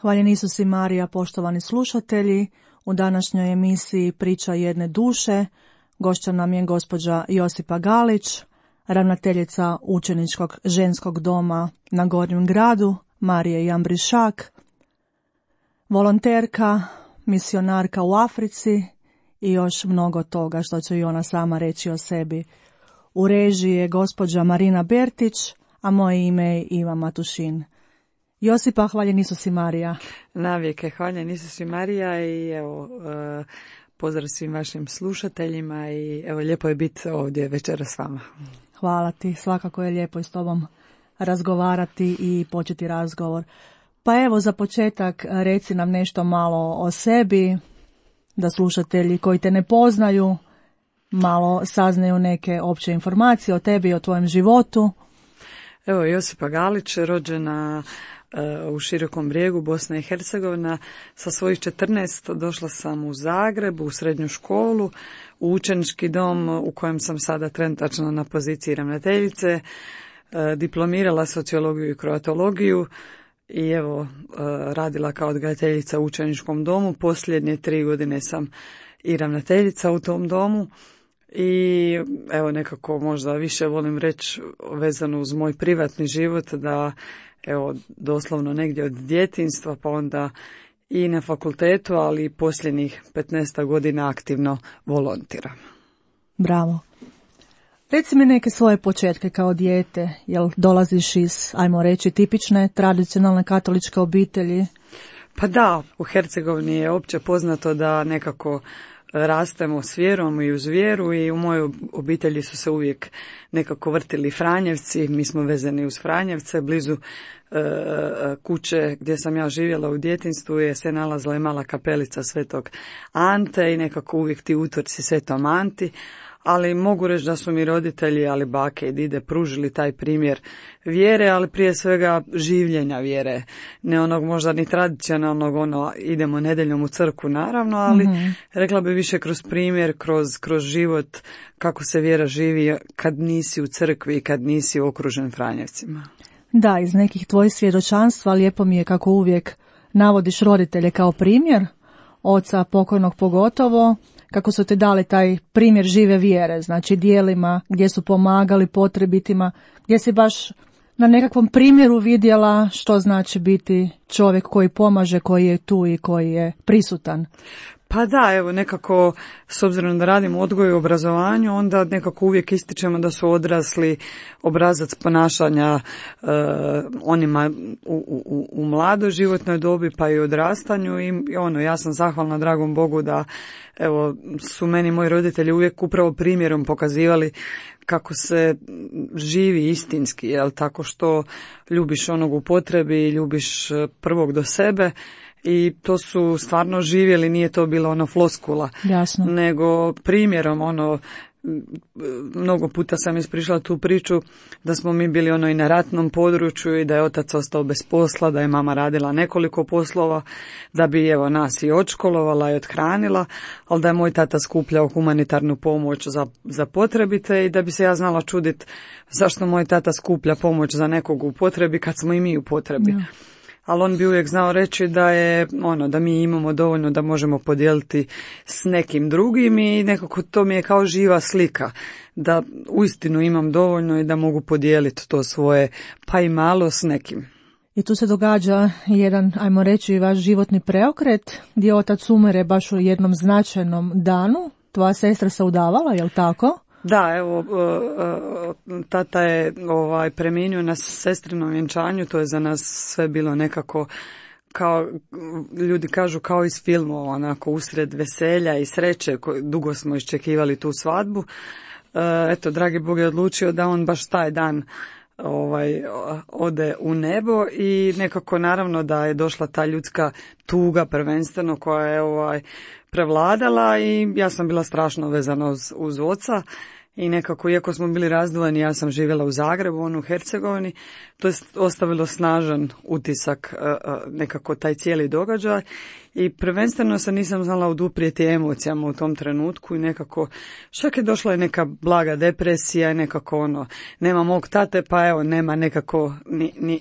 Hvaljen Isus i Marija, poštovani slušatelji. U današnjoj emisiji Priča jedne duše gošća nam je gospođa Josipa Galić, ravnateljica učeničkog ženskog doma na Gornjem gradu, Marije Jambrišak, volonterka, misionarka u Africi i još mnogo toga što će i ona sama reći o sebi. U režiji je gospođa Marina Bertić, a moje ime je Iva Matušin. Josipa, hvaljen Isus i Marija. Navijeke, hvaljen Isus i Marija i evo, pozdrav svim vašim slušateljima i evo, lijepo je biti ovdje večera s vama. Hvala ti, svakako je lijepo i s tobom razgovarati i početi razgovor. Pa evo, za početak reci nam nešto malo o sebi, da slušatelji koji te ne poznaju malo saznaju neke opće informacije o tebi i o tvojem životu. Evo, Josipa Galić, rođena u Širokom Brijegu, Bosna i Hercegovina. Sa svojih 14 došla sam u Zagreb, u srednju školu, u učenički dom u kojem sam sada trenutačno na poziciji ravnateljice, diplomirala sociologiju i kroatologiju i evo radila kao odgajateljica u učeničkom domu. Posljednje 3 godine sam i ravnateljica u tom domu. I evo, nekako možda više volim reći vezano uz moj privatni život da evo doslovno negdje od djetinjstva pa onda i na fakultetu, ali i posljednjih 15 godina aktivno volontiram. Bravo. Reci mi neke svoje početke kao dijete. Jel dolaziš iz, ajmo reći, tipične tradicionalne katoličke obitelji? Pa da, u Hercegovini je opće poznato da nekako rastemo s vjerom i uz vjeru i u mojoj obitelji su se uvijek nekako vrtili Franjevci, mi smo vezani uz Franjevce, blizu kuće gdje sam ja živjela u djetinjstvu je se nalazila i mala kapelica Svetog Ante i nekako uvijek ti utorci Svetom Anti, ali mogu reći da su mi roditelji, ali bake i dide, pružili taj primjer vjere, ali prije svega življenja vjere. Ne onog možda ni tradicionalnog, idemo nedjeljom u crkvu naravno, ali rekla bi više kroz primjer, kroz život, kako se vjera živi kad nisi u crkvi i kad nisi okružen Franjevcima. Da, iz nekih tvojih svjedočanstva lijepo mi je kako uvijek navodiš roditelje kao primjer, oca pokojnog pogotovo, kako su ti dali taj primjer žive vjere, znači dijelima gdje su pomagali potrebitima, gdje si baš na nekakvom primjeru vidjela što znači biti čovjek koji pomaže, koji je tu i koji je prisutan. Pa da, evo nekako, s obzirom da radim odgoj i obrazovanju, onda nekako uvijek ističemo da su odrasli obrazac ponašanja onima u mladoj životnoj dobi pa i odrastanju i ja sam zahvalna dragom Bogu da evo su meni moji roditelji uvijek upravo primjerom pokazivali kako se živi istinski, jel, tako što ljubiš onog u potrebi, ljubiš prvog do sebe. I to su stvarno živjeli, nije to bilo floskula. Jasno. Nego primjerom mnogo puta sam ispričala tu priču da smo mi bili i na ratnom području i da je otac ostao bez posla, da je mama radila nekoliko poslova, da bi evo nas i odškolovala i othranila, ali da je moj tata skupljao humanitarnu pomoć za potrebite i da bi se ja znala čuditi zašto moj tata skuplja pomoć za nekog u potrebi kad smo i mi u potrebi. Ja. Ali on bi uvijek znao reći da je da mi imamo dovoljno da možemo podijeliti s nekim drugim i nekako to mi je kao živa slika da uistinu imam dovoljno i da mogu podijeliti to svoje pa i malo s nekim. I tu se događa jedan, ajmo reći, vaš životni preokret gdje otac umire baš u jednom značajnom danu. Tvoja sestra se udavala, je li tako? Da, evo, tata je preminuo na sestrinom vjenčanju, to je za nas sve bilo nekako, kao ljudi kažu, kao iz filmova, onako usred veselja i sreće, dugo smo iščekivali tu svadbu. Eto, dragi Bog je odlučio da on baš taj dan ode u nebo i nekako naravno da je došla ta ljudska tuga prvenstveno koja je prevladala i ja sam bila strašno vezana uz oca i nekako, iako smo bili razdvojeni, ja sam živjela u Zagrebu, on u Hercegovini, to je ostavilo snažan utisak nekako taj cijeli događaj i prvenstveno se nisam znala oduprijeti emocijama u tom trenutku i nekako čak je došla i neka blaga depresija i nekako nema mog tate pa evo nema nekako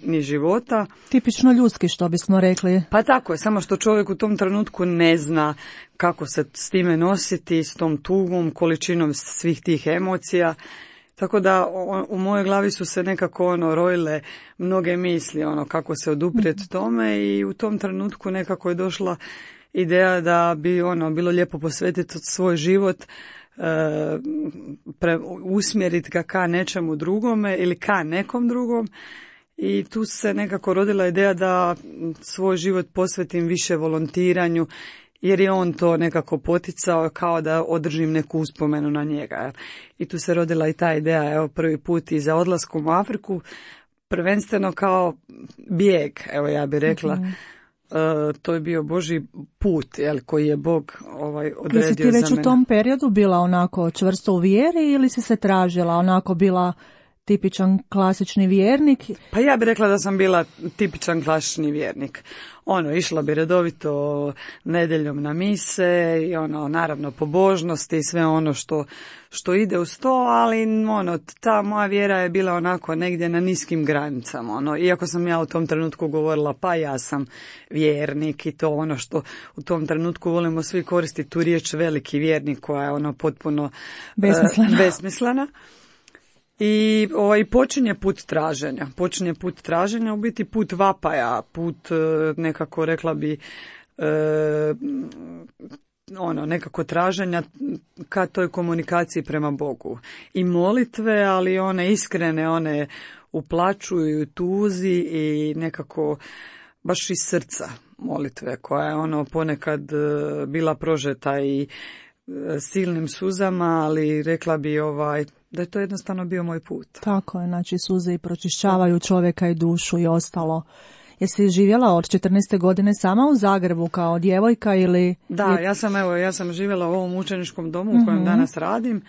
ni života. Tipično ljudski što bismo rekli. Pa tako je, samo što čovjek u tom trenutku ne zna kako se s time nositi, s tom tugom, količinom svih tih emocija. Tako da u mojoj glavi su se nekako rojile mnoge misli kako se oduprijeti tome i u tom trenutku nekako je došla ideja da bi bilo lijepo posvetiti svoj život, usmjeriti ga ka nečemu drugome ili ka nekom drugom i tu se nekako rodila ideja da svoj život posvetim više volontiranju jer je on to nekako poticao kao da održim neku uspomenu na njega. I tu se rodila i ta ideja, prvi put i za odlaskom u Afriku, prvenstveno kao bijeg, ja bih rekla. To je bio Božji put, koji je Bog odredio za mene. Jesi ti već u tom periodu bila onako čvrsto u vjeri ili si se tražila, onako bila tipičan klasični vjernik? Pa ja bih rekla da sam bila tipičan klasični vjernik. Išla bi redovito nedjeljom na mise i naravno pobožnosti i sve što ide uz to, ali ta moja vjera je bila onako negdje na niskim granicama. Iako sam ja u tom trenutku govorila pa ja sam vjernik i to što u tom trenutku volimo svi koristiti tu riječ veliki vjernik koja je potpuno besmislena. I počinje put traženja, u biti put vapaja, put nekako rekla bi nekako traženja ka toj komunikaciji prema Bogu. I molitve, ali one iskrene, one u plaću i u tuzi i nekako baš iz srca molitve koja je ponekad bila prožeta i silnim suzama, ali rekla bi da je to jednostavno bio moj put. Tako je, znači suze i pročišćavaju čovjeka i dušu i ostalo. Jesi živjela od 14. godine sama u Zagrebu kao djevojka ili... Da, ja sam živjela u ovom učeničkom domu u kojem danas radim.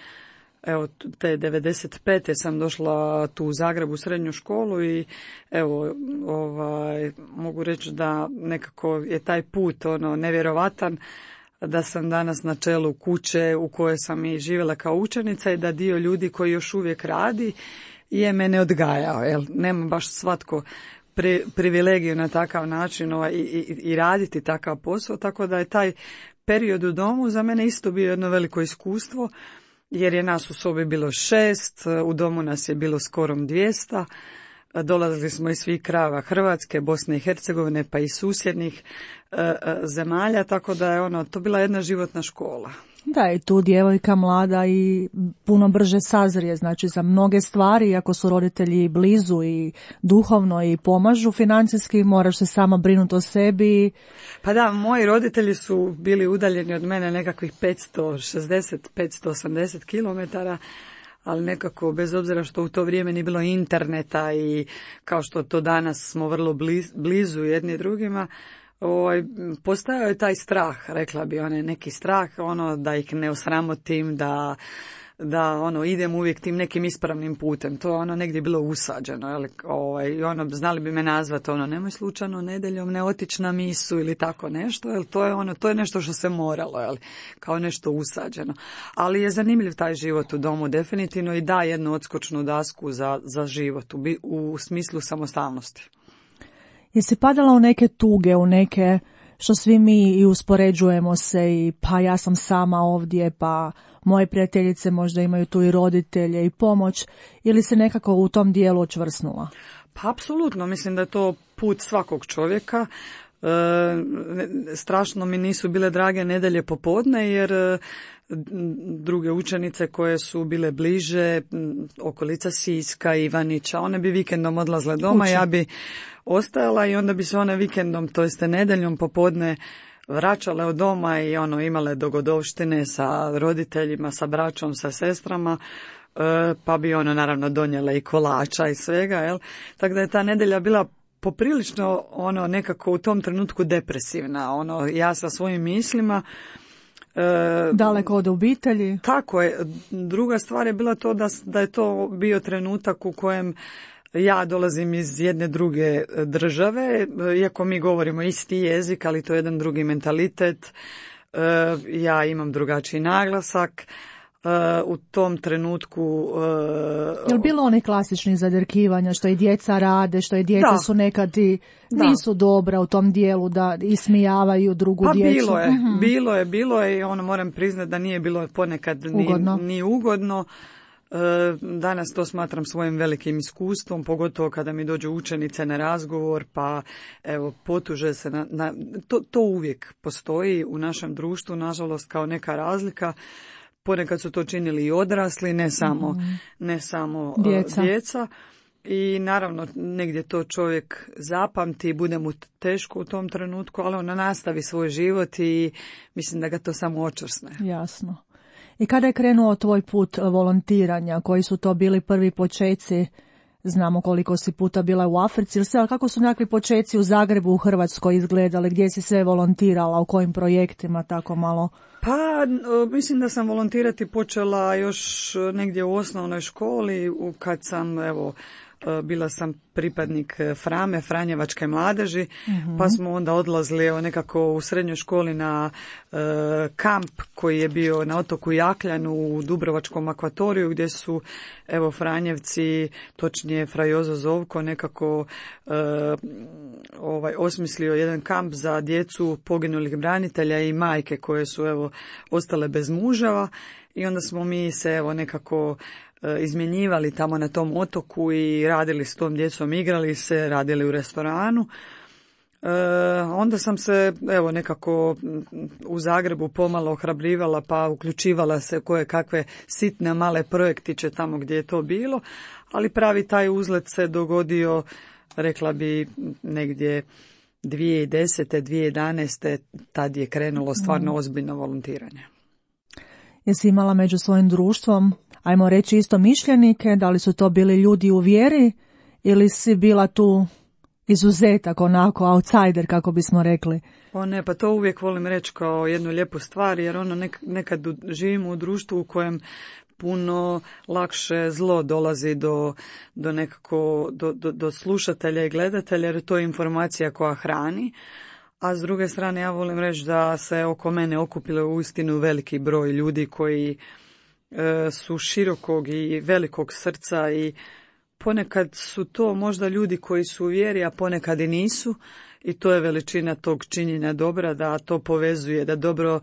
Te 95. sam došla tu u Zagrebu u srednju školu i mogu reći da nekako je taj put nevjerovatan, da sam danas na čelu kuće u kojoj sam i živjela kao učenica i da dio ljudi koji još uvijek radi je mene odgajao. Nema baš svatko privilegiju na takav način i raditi takav posao, tako da je taj period u domu za mene isto bio jedno veliko iskustvo, jer je nas u sobi bilo 6, u domu nas je bilo skoro 200, dolazili smo iz svih krajeva Hrvatske, Bosne i Hercegovine, pa i susjednih zemalja, tako da je to bila jedna životna škola. Da, i tu djevojka mlada i puno brže sazrije, znači za mnoge stvari, ako su roditelji blizu i duhovno i pomažu financijski, moraš se sama brinuti o sebi. Pa da, moji roditelji su bili udaljeni od mene nekakvih 560-580 kilometara, ali nekako bez obzira što u to vrijeme nije bilo interneta i kao što to danas smo vrlo blizu jedni drugima, postojao je taj strah, rekla bi, neki strah, da ih ne osramotim, da idem uvijek tim nekim ispravnim putem. To je negdje bilo usađeno, znali bi me nazvati, nemoj slučajno nedjeljom ne otići na misu ili tako nešto, to je nešto što se moralo, kao nešto usađeno. Ali je zanimljiv taj život u domu, definitivno, i da jednu odskočnu dasku za život, u smislu samostalnosti. Jesi padala u neke tuge, u neke što svi mi i uspoređujemo se i pa ja sam sama ovdje, pa moje prijateljice možda imaju tu i roditelje i pomoć, ili se nekako u tom dijelu očvrsnula? Pa apsolutno, mislim da je to put svakog čovjeka. Strašno mi nisu bile drage nedjelje popodne jer druge učenice koje su bile bliže, okolica Siska, Ivanića, one bi vikendom odlazle doma, ja bi ostajala i onda bi se one vikendom, to jeste nedjeljom popodne, vraćale od doma i imale dogodovštine sa roditeljima, sa braćom, sa sestrama, pa bi naravno donijele i kolača i svega, tako da je ta nedjelja bila poprilično nekako u tom trenutku depresivna, ja sa svojim mislima. Daleko od obitelji. Tako je. Druga stvar je bila to da je to bio trenutak u kojem Ja dolazim iz jedne druge države, iako mi govorimo isti jezik, ali to je jedan drugi mentalitet. Ja imam drugačiji naglasak. U tom trenutku... Je li bilo onih klasičnih zadrkivanja što i djeca rade, što i djeca su nekad i nisu dobra u tom dijelu da ismijavaju drugu djecu? Bilo je i moram priznati da nije bilo ponekad ni ugodno. Danas to smatram svojim velikim iskustvom, pogotovo kada mi dođu učenice na razgovor, pa evo potuže se to uvijek postoji u našem društvu, nažalost, kao neka razlika. Ponekad su to činili i odrasli, ne samo djeca. I naravno negdje to čovjek zapamti i bude mu teško u tom trenutku, ali on nastavi svoj život i mislim da ga to samo očvrsne. Jasno. I kada je krenuo tvoj put volontiranja, koji su to bili prvi počeci? Znamo koliko si puta bila u Africi, ali kako su nekakvi počeci u Zagrebu, u Hrvatskoj izgledali, gdje si sve volontirala, u kojim projektima, tako malo? Pa, mislim da sam volontirati počela još negdje u osnovnoj školi, kad sam, bila sam pripadnik Franjevačke mladeži, pa smo onda odlazili nekako u srednjoj školi na kamp koji je bio na otoku Jakljanu u Dubrovačkom akvatoriju, gdje su Franjevci, točnije Fra Jozo Zovko, nekako osmislio jedan kamp za djecu poginulih branitelja i majke koje su ostale bez muževa, i onda smo mi se nekako izmjenjivali tamo na tom otoku i radili s tom djecom, igrali se, radili u restoranu. Onda sam se nekako u Zagrebu pomalo ohrabrivala, pa uključivala se koje kakve sitne male projektiće tamo gdje je to bilo, ali pravi taj uzlet se dogodio, rekla bi, negdje 2010. 2011. Tad je krenulo stvarno ozbiljno volontiranje. Jesi imala među svojim društvom, ajmo reći, isto mišljenike? Da li su to bili ljudi u vjeri ili si bila tu izuzetak, onako outsider, kako bismo rekli? Pa to uvijek volim reći kao jednu lijepu stvar, jer nekad živimo u društvu u kojem puno lakše zlo dolazi do nekako do slušatelja i gledatelja, jer to je informacija koja hrani. A s druge strane ja volim reći da se oko mene okupilo uistinu veliki broj ljudi koji su širokog i velikog srca, i ponekad su to možda ljudi koji su u vjeri, a ponekad i nisu, i to je veličina tog činjenja dobra, da to povezuje, da dobro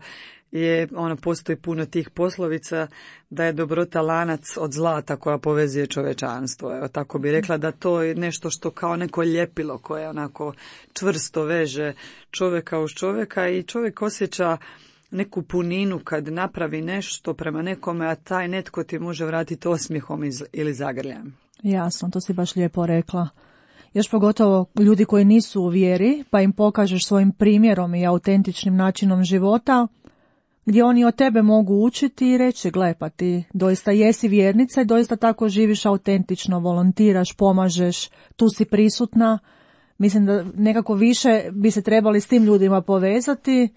je, postoji puno tih poslovica, da je dobrota lanac od zlata koja povezuje čovečanstvo. Evo, tako bi rekla, da to je nešto što kao neko ljepilo koje onako čvrsto veže čovjeka uz čovjeka, i čovjek osjeća neku puninu kad napravi nešto prema nekome, a taj netko ti može vratiti osmijehom ili zagrljajem. Jasno, to si baš lijepo rekla. Još pogotovo ljudi koji nisu u vjeri, pa im pokažeš svojim primjerom i autentičnim načinom života, gdje oni od tebe mogu učiti i reći, gle, pa ti doista jesi vjernica i doista tako živiš autentično, volontiraš, pomažeš, tu si prisutna. Mislim da nekako više bi se trebali s tim ljudima povezati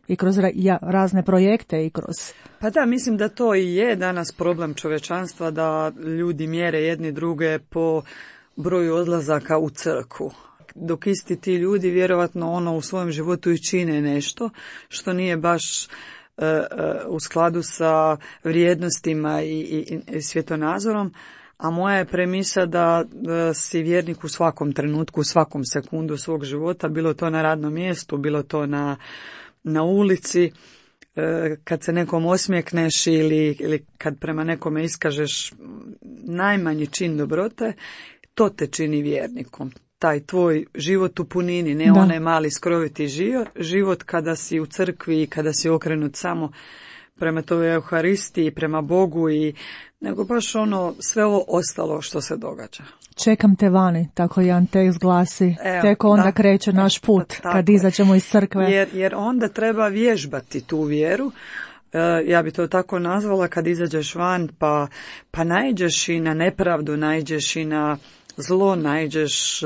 i kroz razne projekte i kroz... Pa da, mislim da to i je danas problem čovječanstva, da ljudi mjere jedni druge po broju odlazaka u crkvu. Dok isti ti ljudi vjerovatno u svojem životu i čine nešto što nije baš u skladu sa vrijednostima i svjetonazorom, a moja je premisa da si vjernik u svakom trenutku, u svakom sekundu svog života, bilo to na radnom mjestu, bilo to na ulici, kad se nekom osmijekneš ili kad prema nekome iskažeš najmanji čin dobrote, to te čini vjernikom. Taj tvoj život u punini, ne onaj mali skroviti život kada si u crkvi i kada si okrenut samo prema toj Euharistiji, prema Bogu, nego baš sve ovo ostalo što se događa. Čekam te vani, tako jedan tekst glasi. Tek onda kreće naš put, kad izađemo iz crkve. Jer onda treba vježbati tu vjeru. Ja bi to tako nazvala, kad izađeš van pa naiđeš i na nepravdu, naiđeš i na zlo, naiđeš,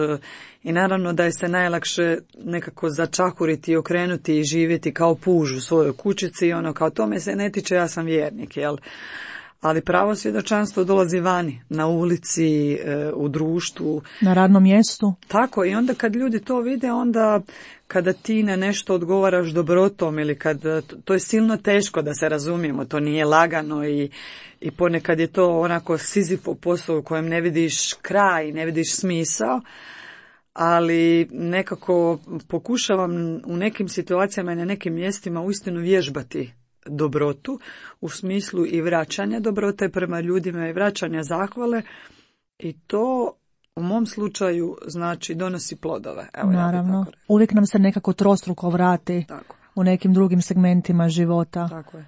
i naravno da je se najlakše nekako začahuriti i okrenuti i živjeti kao puž u svojoj kućici, kao tome se ne tiče, ja sam vjernik, jel? ali pravo svjedočanstvo dolazi vani, na ulici, u društvu. Na radnom mjestu. Tako, i onda kad ljudi to vide, onda kada ti na nešto odgovaraš dobrotom ili to je silno teško, da se razumijemo, to nije lagano i ponekad je to onako Sizifov posao u kojem ne vidiš kraj, ne vidiš smisao, ali nekako pokušavam u nekim situacijama i na nekim mjestima uistinu vježbati dobrotu u smislu i vraćanja dobrote prema ljudima i vraćanja zahvale, i to u mom slučaju znači donosi plodove. Evo, naravno, uvijek nam se nekako trostruko vrati. Tako. U nekim drugim segmentima života. Tako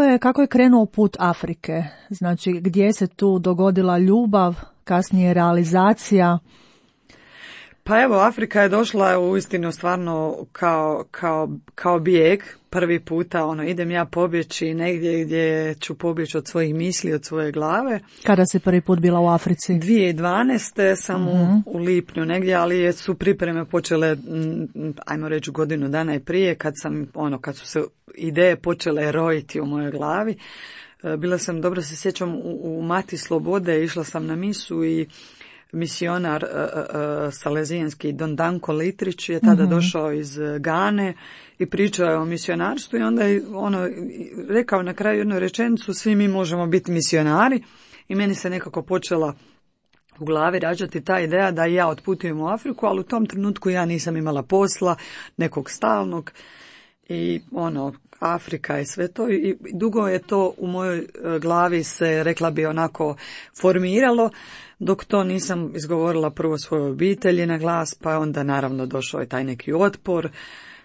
je. Kako je krenuo put Afrike? Znači, gdje se tu dogodila ljubav, kasnije realizacija? Pa evo, Afrika je došla uistinu stvarno kao bijeg. Prvi puta idem ja pobjeći negdje gdje ću pobjeći od svojih misli, od svoje glave. Kada si prvi put bila u Africi? 2012. sam u lipnju negdje, ali su pripreme počele, ajmo reći, godinu dana i prije, kad su se ideje počele rojiti u mojoj glavi. Bila sam, dobro se sjećam, u Mati Slobode, išla sam na misu i misionar salezijanski Don Danko Litrić je tada došao iz Gane i pričao je o misionarstvu, i onda je rekao na kraju jednu rečenicu: svi mi možemo biti misionari, i meni se nekako počela u glavi rađati ta ideja da ja otputujem u Afriku, ali u tom trenutku ja nisam imala posla, nekog stalnog, i Afrika i sve to, i dugo je to u mojoj glavi se, rekla bi, onako formiralo, dok to nisam izgovorila prvo svojoj obitelji na glas, pa onda naravno došao je taj neki otpor,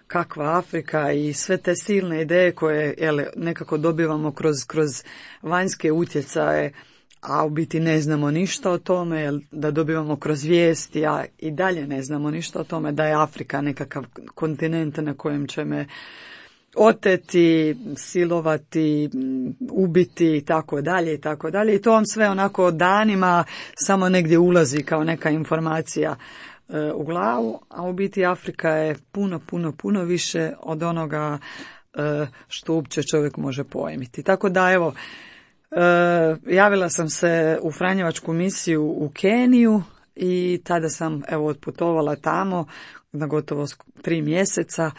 kakva Afrika, i sve te silne ideje koje nekako dobivamo kroz vanjske utjecaje, a u biti ne znamo ništa o tome, da dobivamo kroz vijesti, a i dalje ne znamo ništa o tome, da je Afrika nekakav kontinent na kojem će me oteti, silovati, ubiti i tako dalje i tako dalje. I to vam sve onako danima samo negdje ulazi kao neka informacija u glavu, a u biti Afrika je puno više od onoga što uopće čovjek može pojmiti. Tako da evo, javila sam se u Franjevačku misiju u Keniju i tada sam otputovala tamo na gotovo 3 mjeseca.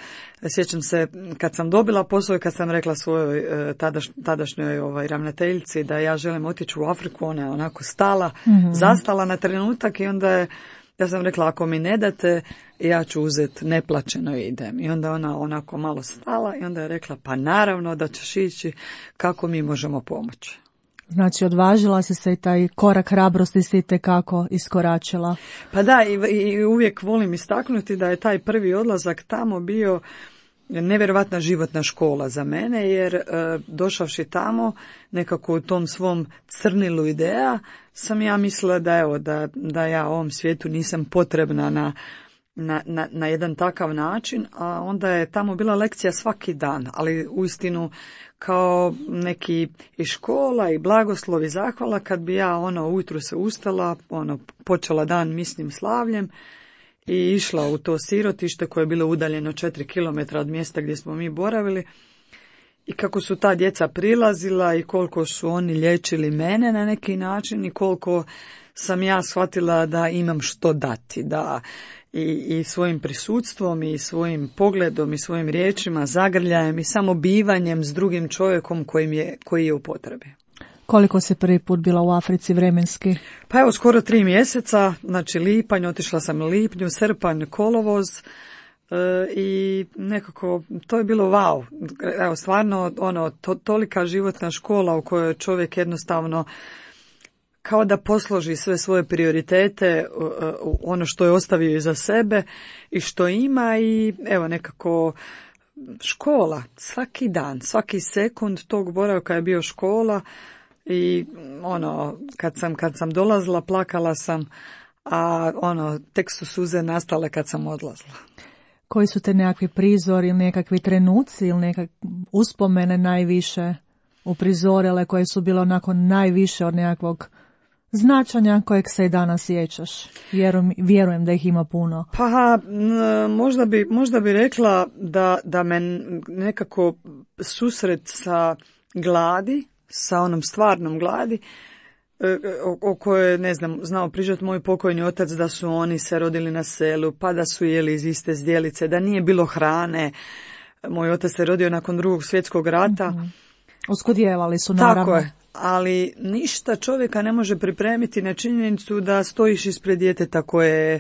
Sjećam se kad sam dobila posao i kad sam rekla svojoj tadašnjoj ravnateljici da ja želim otići u Afriku, ona je onako stala, zastala na trenutak, i onda ja sam rekla: ako mi ne date, ja ću uzeti neplaćeno i idem. I onda ona onako malo stala i onda je rekla: pa naravno da ćeš ići, kako mi možemo pomoći. Znači, odvažila si se i taj korak hrabrosti si itekako iskoračila. Pa da, i uvijek volim istaknuti da je taj prvi odlazak tamo bio nevjerojatna životna škola za mene, jer došavši tamo nekako u tom svom crnilu ideja sam ja mislila da ja ovom svijetu nisam potrebna na jedan takav način, a onda je tamo bila lekcija svaki dan, ali uistinu kao neki i škola i blagoslov i zahvala kad bi ja ujutro se ustala, počela dan misnim slavljem i išla u to sirotište koje je bilo udaljeno 4 km od mjesta gdje smo mi boravili, i kako su ta djeca prilazila i koliko su oni liječili mene na neki način i koliko sam ja shvatila da imam što dati, da i svojim prisustvom i svojim pogledom i svojim riječima, zagrljajem i samo bivanjem s drugim čovjekom koji je u potrebi. Koliko si prvi put bila u Africi vremenski? Pa evo, skoro 3 mjeseca, znači lipanj, otišla sam u lipnju, srpanj, kolovoz, i nekako to je bilo wow. Evo, stvarno tolika životna škola u kojoj čovjek jednostavno kao da posloži sve svoje prioritete, ono što je ostavio iza sebe i što ima, i evo nekako škola, svaki dan, svaki sekund tog boravka je bio škola, i kad sam dolazila plakala sam, a tek su suze nastale kad sam odlazila. Koji su te nekakvi prizori ili nekakvi trenuci ili nekakve uspomene najviše uprizorile, koje su bile onako najviše od nekakvog značanja kojeg se i danas sjećaš? Vjerujem da ih ima puno. Pa možda bi rekla da me nekako susret sa gladi sa onom stvarnom gladi, o kojoj je, ne znam, znao pričati moj pokojni otac, da su oni se rodili na selu, pa da su jeli iz iste zdjelice, da nije bilo hrane. Moj otac se rodio nakon Drugog svjetskog rata. Oskudijevali su, naravno. Tako je, ali ništa čovjeka ne može pripremiti na činjenicu da stojiš ispred djeteta koje je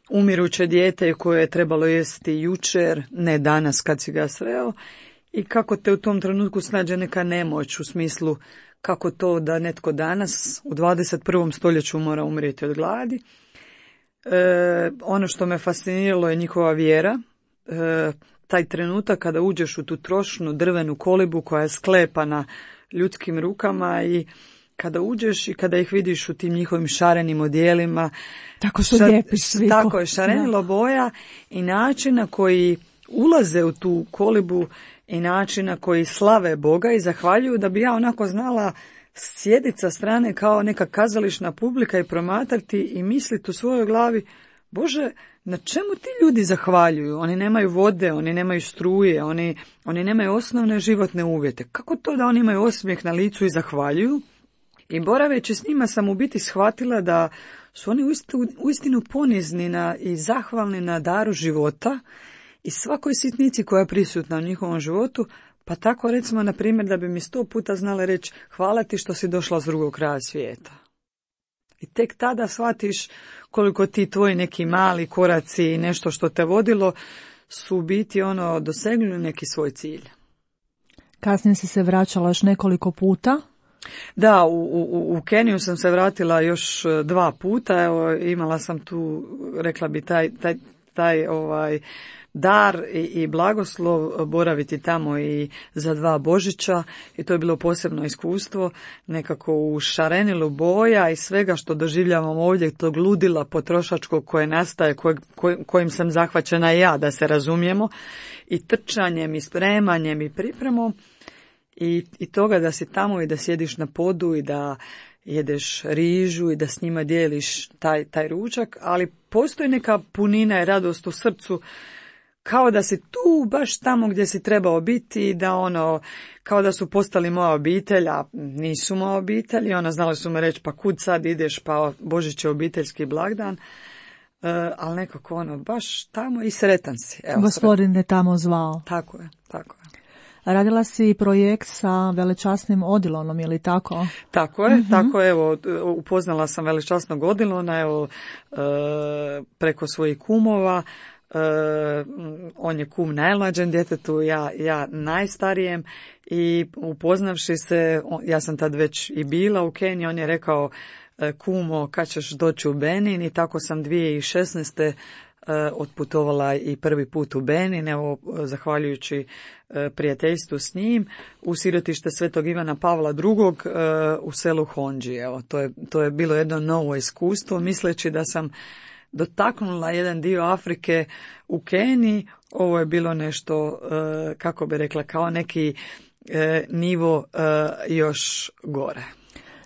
umiruće dijete koje je trebalo jesti jučer, ne danas kad si ga sreo, i kako te u tom trenutku snađe neka nemoć u smislu kako to da netko danas u 21. stoljeću mora umrijeti od gladi. Ono što me fasciniralo je njihova vjera, taj trenutak kada uđeš u tu trošnu drvenu kolibu koja je sklepana ljudskim rukama i kada uđeš i kada ih vidiš u tim njihovim šarenim odijelima. Tako su lijepi svi. Tako je, šarenilo boja i način na koji ulaze u tu kolibu i način na koji slave Boga i zahvaljuju, da bi ja onako znala sjediti sa strane kao neka kazališna publika i promatrati i misliti u svojoj glavi, Bože, na čemu ti ljudi zahvaljuju? Oni nemaju vode, oni nemaju struje, oni nemaju osnovne životne uvjete. Kako to da oni imaju osmijeh na licu i zahvaljuju? I boraveći s njima sam u biti shvatila da su oni uistinu ponizni i zahvalni na daru života i svakoj sitnici koja je prisutna u njihovom životu, pa tako recimo, na primjer, da bi mi 100 puta znala reći hvala ti što si došla s drugog kraja svijeta. I tek tada shvatiš koliko ti tvoji neki mali koraci i nešto što te vodilo su u biti dosegnuli neki svoj cilj. Kasnije si se vraćala još nekoliko puta. Da, u Keniju sam se vratila još 2 puta. Evo, imala sam tu, rekla bi, taj dar i blagoslov boraviti tamo i za 2 Božića, i to je bilo posebno iskustvo, nekako u šarenilu boja i svega što doživljavam ovdje, tog ludila potrošačkog koje nastaje, kojim sam zahvaćena ja, da se razumijemo, i trčanjem i spremanjem i pripremom, i toga da si tamo i da sjediš na podu i da jedeš rižu i da s njima dijeliš taj ručak, ali postoji neka punina i radost u srcu, kao da si tu baš tamo gdje si trebao biti i da kao da su postali moja obitelj, a nisu moja obitelj, i znali su me reći pa kud sad ideš, pa Božić je obiteljski blagdan, ali nekako baš tamo i sretan si. Evo, Gospodin je tamo zvao. Tako je. Radila si projekt sa velečasnim Odilonom, je li tako? Tako je, tako je, evo, upoznala sam velečasnog Odilona, evo, preko svojih kumova. On je kum najmlađem djetetu, ja najstarijem, i upoznavši se, ja sam tad već i bila u Keniji, on je rekao kumo kad ćeš doći u Benin, i tako sam 2016. Otputovala i prvi put u Benin, evo, zahvaljujući prijateljstvu s njim, u sirotište Svetog Ivana Pavla II. U selu Honđi. Evo, to je bilo jedno novo iskustvo, misleći da sam dotaknula jedan dio Afrike u Keniji. Ovo je bilo nešto, kako bi rekla, kao neki nivo još gore.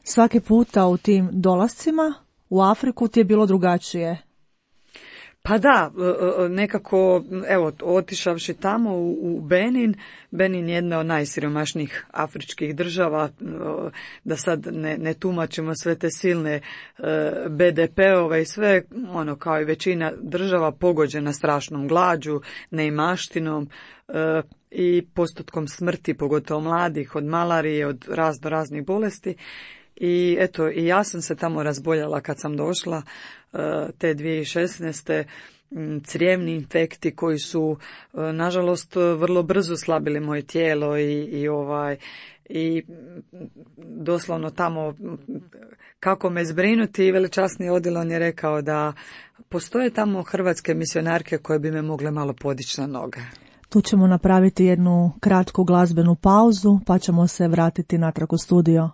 Svaki puta u tim dolascima u Afriku ti je bilo drugačije? Pa da, nekako, evo, otišavši tamo u Benin je jedna od najsiromašnijih afričkih država, da sad ne tumačimo sve te silne BDP-ove i sve, kao i većina država pogođena strašnom glađu, neimaštinom i postotkom smrti, pogotovo mladih, od malarije, od raznih bolesti. I eto, i ja sam se tamo razboljela kad sam došla te 2016. Crijevni infekti koji su, nažalost, vrlo brzo slabili moje tijelo i doslovno tamo kako me zbrinuti. Velečasni Odilon je rekao da postoje tamo hrvatske misionarke koje bi me mogle malo podići na noge. Tu ćemo napraviti jednu kratku glazbenu pauzu, pa ćemo se vratiti natrag u studio.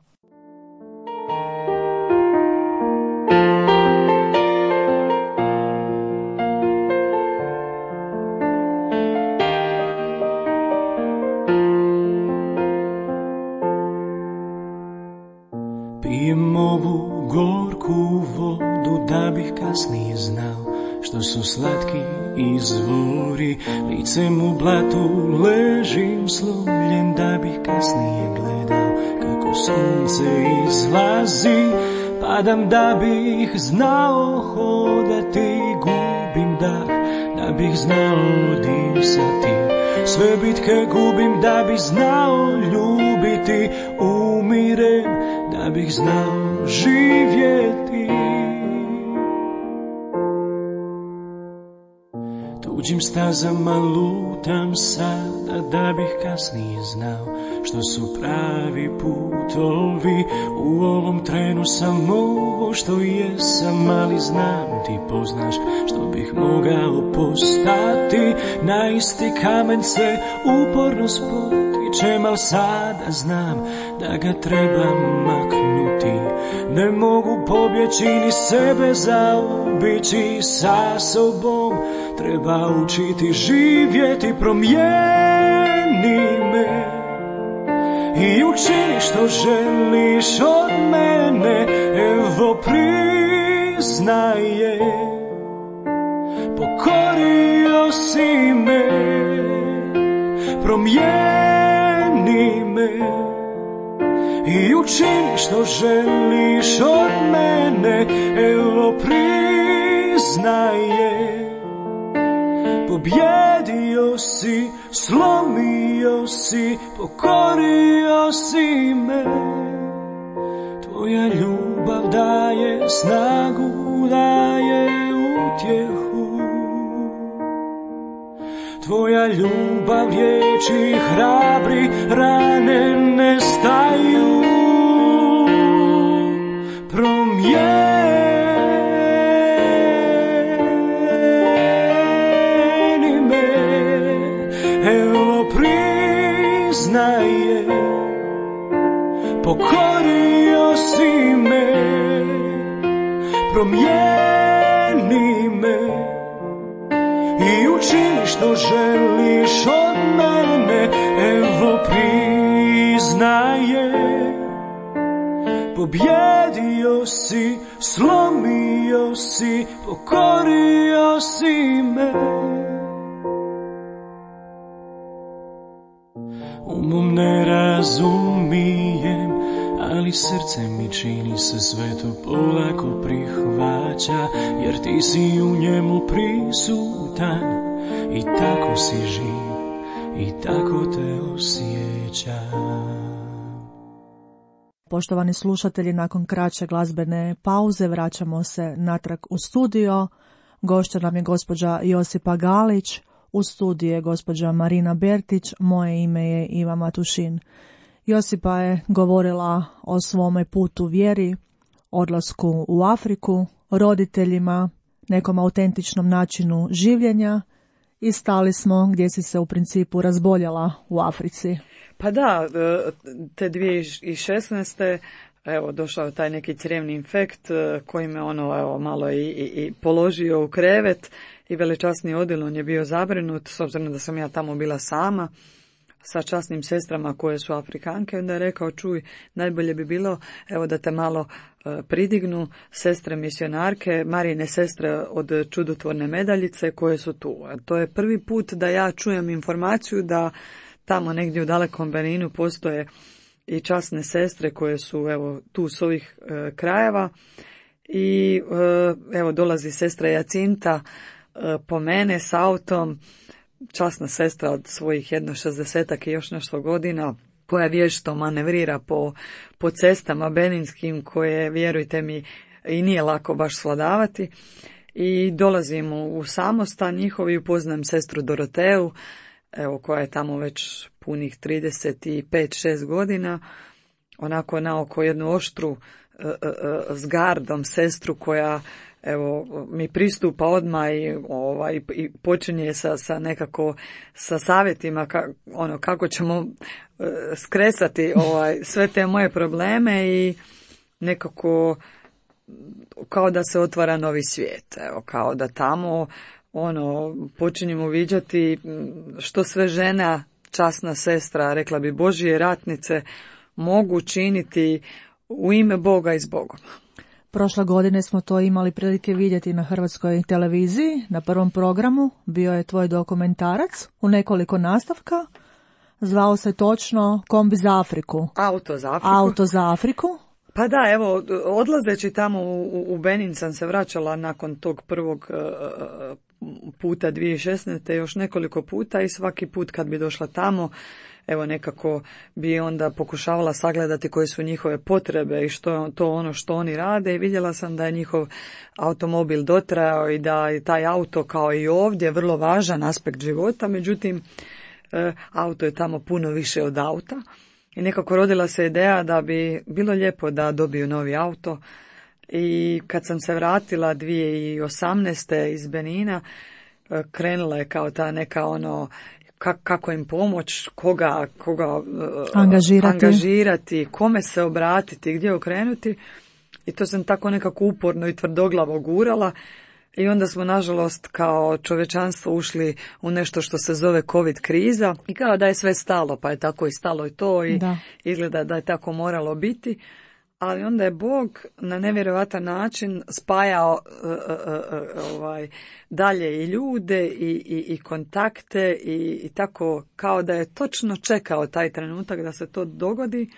Pijem ovu gorku vodu da bih kasnije znao što su slatki izvori. Licem u blatu ležim slomljen da bih kasnije gledao kako kako sunce izlazi. Padam da bih znao hodati, gubim dah da bih znao disati. Sve bitke gubim da bih znao ljubiti, umirem da bih znao živjeti. Tuđim stazama lutam sada da bih kasnije znao što su pravi putovi. U ovom trenu sam ovo što jesam, ali znam ti poznaš što bih mogao postati. Na isti kamen se uporno spotičem, al sada znam da ga trebam maknuti. Ne mogu pobjeći ni sebe zaobići, sa sobom treba učiti živjeti. Promijeni me i učini što želiš od mene, evo priznaje, pokorio si me. Promijeni me i učini što želiš od mene, evo priznaje, pobjedio si, slomio si, pokorio si me. Tvoja ljubav daje snagu, daje utjehu. Tvoja ljubav liječi, hrabri, rane nestaju. Promijeni me, evo priznaje, pokorio si me. Promijeni me i učini što želiš od mene, evo priznaje, pobjedio si, slomio si, pokorio si me. Umom ne razumijem, ali srce mi čini se sve to polako prihvaća, jer ti si u njemu prisutan i tako si živ i tako te osjećam. Poštovani slušatelji, nakon kraće glazbene pauze vraćamo se natrag u studio. Gošća nam je gospođa Josipa Galić, u studiju je gospođa Marina Bertić, moje ime je Iva Matušin. Josipa je govorila o svome putu vjeri, odlasku u Afriku, roditeljima, nekom autentičnom načinu življenja i stali smo gdje si se u principu razboljela u Africi. Pa da, te 2016. evo došao je taj neki crijevni infekt koji me malo i položio u krevet i velečasni odjel je bio zabrinut s obzirom da sam ja tamo bila sama sa časnim sestrama koje su Afrikanke. Onda je rekao, čuj, najbolje bi bilo evo da te malo pridignu sestre misionarke, Marijine sestre od Čudotvorne medaljice koje su tu. To je prvi put da ja čujem informaciju da tamo negdje u dalekom Beninu postoje i časne sestre koje su evo tu s ovih krajeva i evo dolazi sestra Jacinta po mene s autom, časna sestra od svojih 60 i još nešto godina, koja vješto manevrira po cestama beninskim koje, vjerujte mi, i nije lako baš svladavati. I dolazim u samostan njihov i upoznam sestru Doroteju, evo, koja je tamo već punih 35-6 godina, onako naoko jednu oštru s gardom sestru koja evo mi pristupa odmah i počinje sa nekako sa savjetima kako ćemo skresati sve te moje probleme i nekako kao da se otvara novi svijet, evo, kao da tamo počinjemo viđati što sve žena, časna sestra, rekla bi Božje ratnice, mogu činiti u ime Boga i s Bogom. Prošle godine smo to imali prilike vidjeti na Hrvatskoj televiziji. Na prvom programu bio je tvoj dokumentarac u nekoliko nastavka. zvao se točno Kombi za Afriku. Auto za Afriku. Pa da, evo, odlazeći tamo u Benin sam se vraćala nakon tog prvog puta 2016. još nekoliko puta i svaki put kad bi došla tamo, evo nekako bi onda pokušavala sagledati koje su njihove potrebe i što je to ono što oni rade i vidjela sam da je njihov automobil dotrajao i da je taj auto kao i ovdje vrlo važan aspekt života, međutim auto je tamo puno više od auta i nekako rodila se ideja da bi bilo lijepo da dobiju novi auto i kad sam se vratila 2018. iz Benina, krenula je kao ta neka ono kako im pomoć, koga angažirati, kome se obratiti, gdje okrenuti i to sam tako nekako uporno i tvrdoglavo gurala i onda smo nažalost kao čovječanstvo ušli u nešto što se zove COVID kriza i kao da je sve stalo, pa je tako i stalo i to i izgleda da je tako moralo biti. Ali onda je Bog na nevjerojatan način spajao dalje i ljude i kontakte i tako kao da je točno čekao taj trenutak da se to dogodi.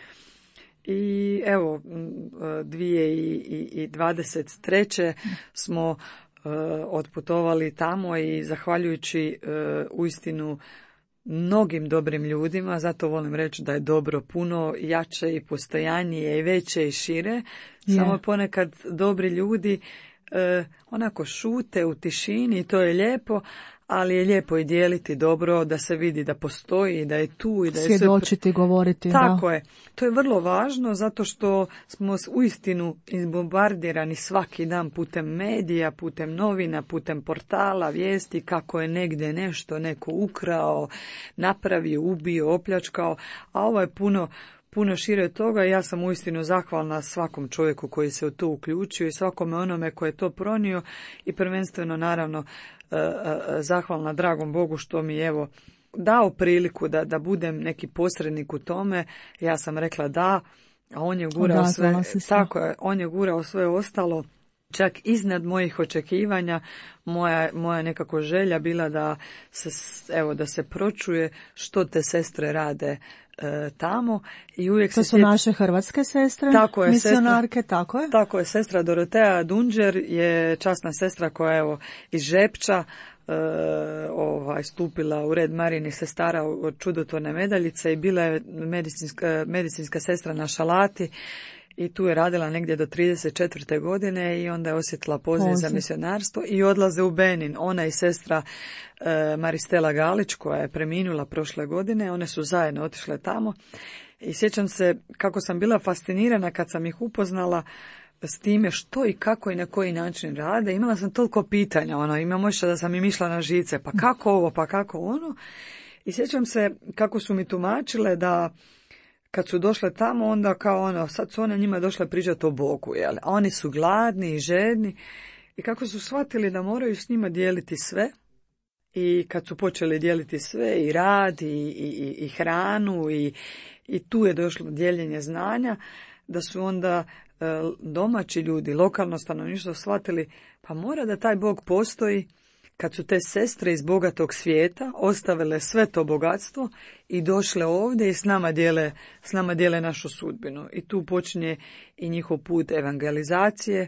I evo, 2023. smo otputovali tamo i zahvaljujući uistinu mnogim dobrim ljudima, zato volim reći da je dobro puno jače i postojanije i veće i šire. Samo ponekad dobri ljudi onako šute u tišini i to je lijepo, ali je lijepo i dijeliti dobro, da se vidi da postoji, da je tu i da je svjedočiti, govoriti. Tako je. To je vrlo važno zato što smo uistinu izbombardirani svaki dan putem medija, putem novina, putem portala, vijesti kako je negdje nešto neko ukrao, napravio, ubio, opljačkao, a ovo je puno šire od toga. Ja sam uistinu zahvalna svakom čovjeku koji se u to uključio i svakome onome koji je to pronio i prvenstveno naravno zahvalna dragom Bogu što mi evo dao priliku da budem neki posrednik u tome. Ja sam rekla da, a on je gurao sve, tako je, on je gurao sve ostalo, čak iznad mojih očekivanja. Moja nekako želja bila da se pročuje što te sestre rade tamo i uvijek to su naše hrvatske sestre, tako je, misionarke, tako je. Tako je, sestra Dorotea Dunđer je časna sestra koja evo iz Žepča stupila u red Marijinih sestara od čudotvorne medaljice i bila je medicinska sestra na Šalati i tu je radila negdje do 34. godine i onda je osjetila poziv za misionarstvo i odlaze u Benin. Ona i sestra Maristela Galić koja je preminula prošle godine, one su zajedno otišle tamo i sjećam se kako sam bila fascinirana kad sam ih upoznala s time što i kako i na koji način rade. Imala sam toliko pitanja, imam ošća da sam im išla na žice, pa kako ovo, pa kako ono. I sjećam se kako su mi tumačile da kad su došle tamo, onda kao sad su one njima došle pričati o Bogu, jel? A oni su gladni i žedni i kako su shvatili da moraju s njima dijeliti sve i kad su počeli dijeliti sve i rad i hranu i tu je došlo dijeljenje znanja, da su onda domaći ljudi, lokalno stanovništvo shvatili pa mora da taj Bog postoji. Kad su te sestre iz bogatog svijeta ostavile sve to bogatstvo i došle ovdje i s nama dijele našu sudbinu. I tu počinje i njihov put evangelizacije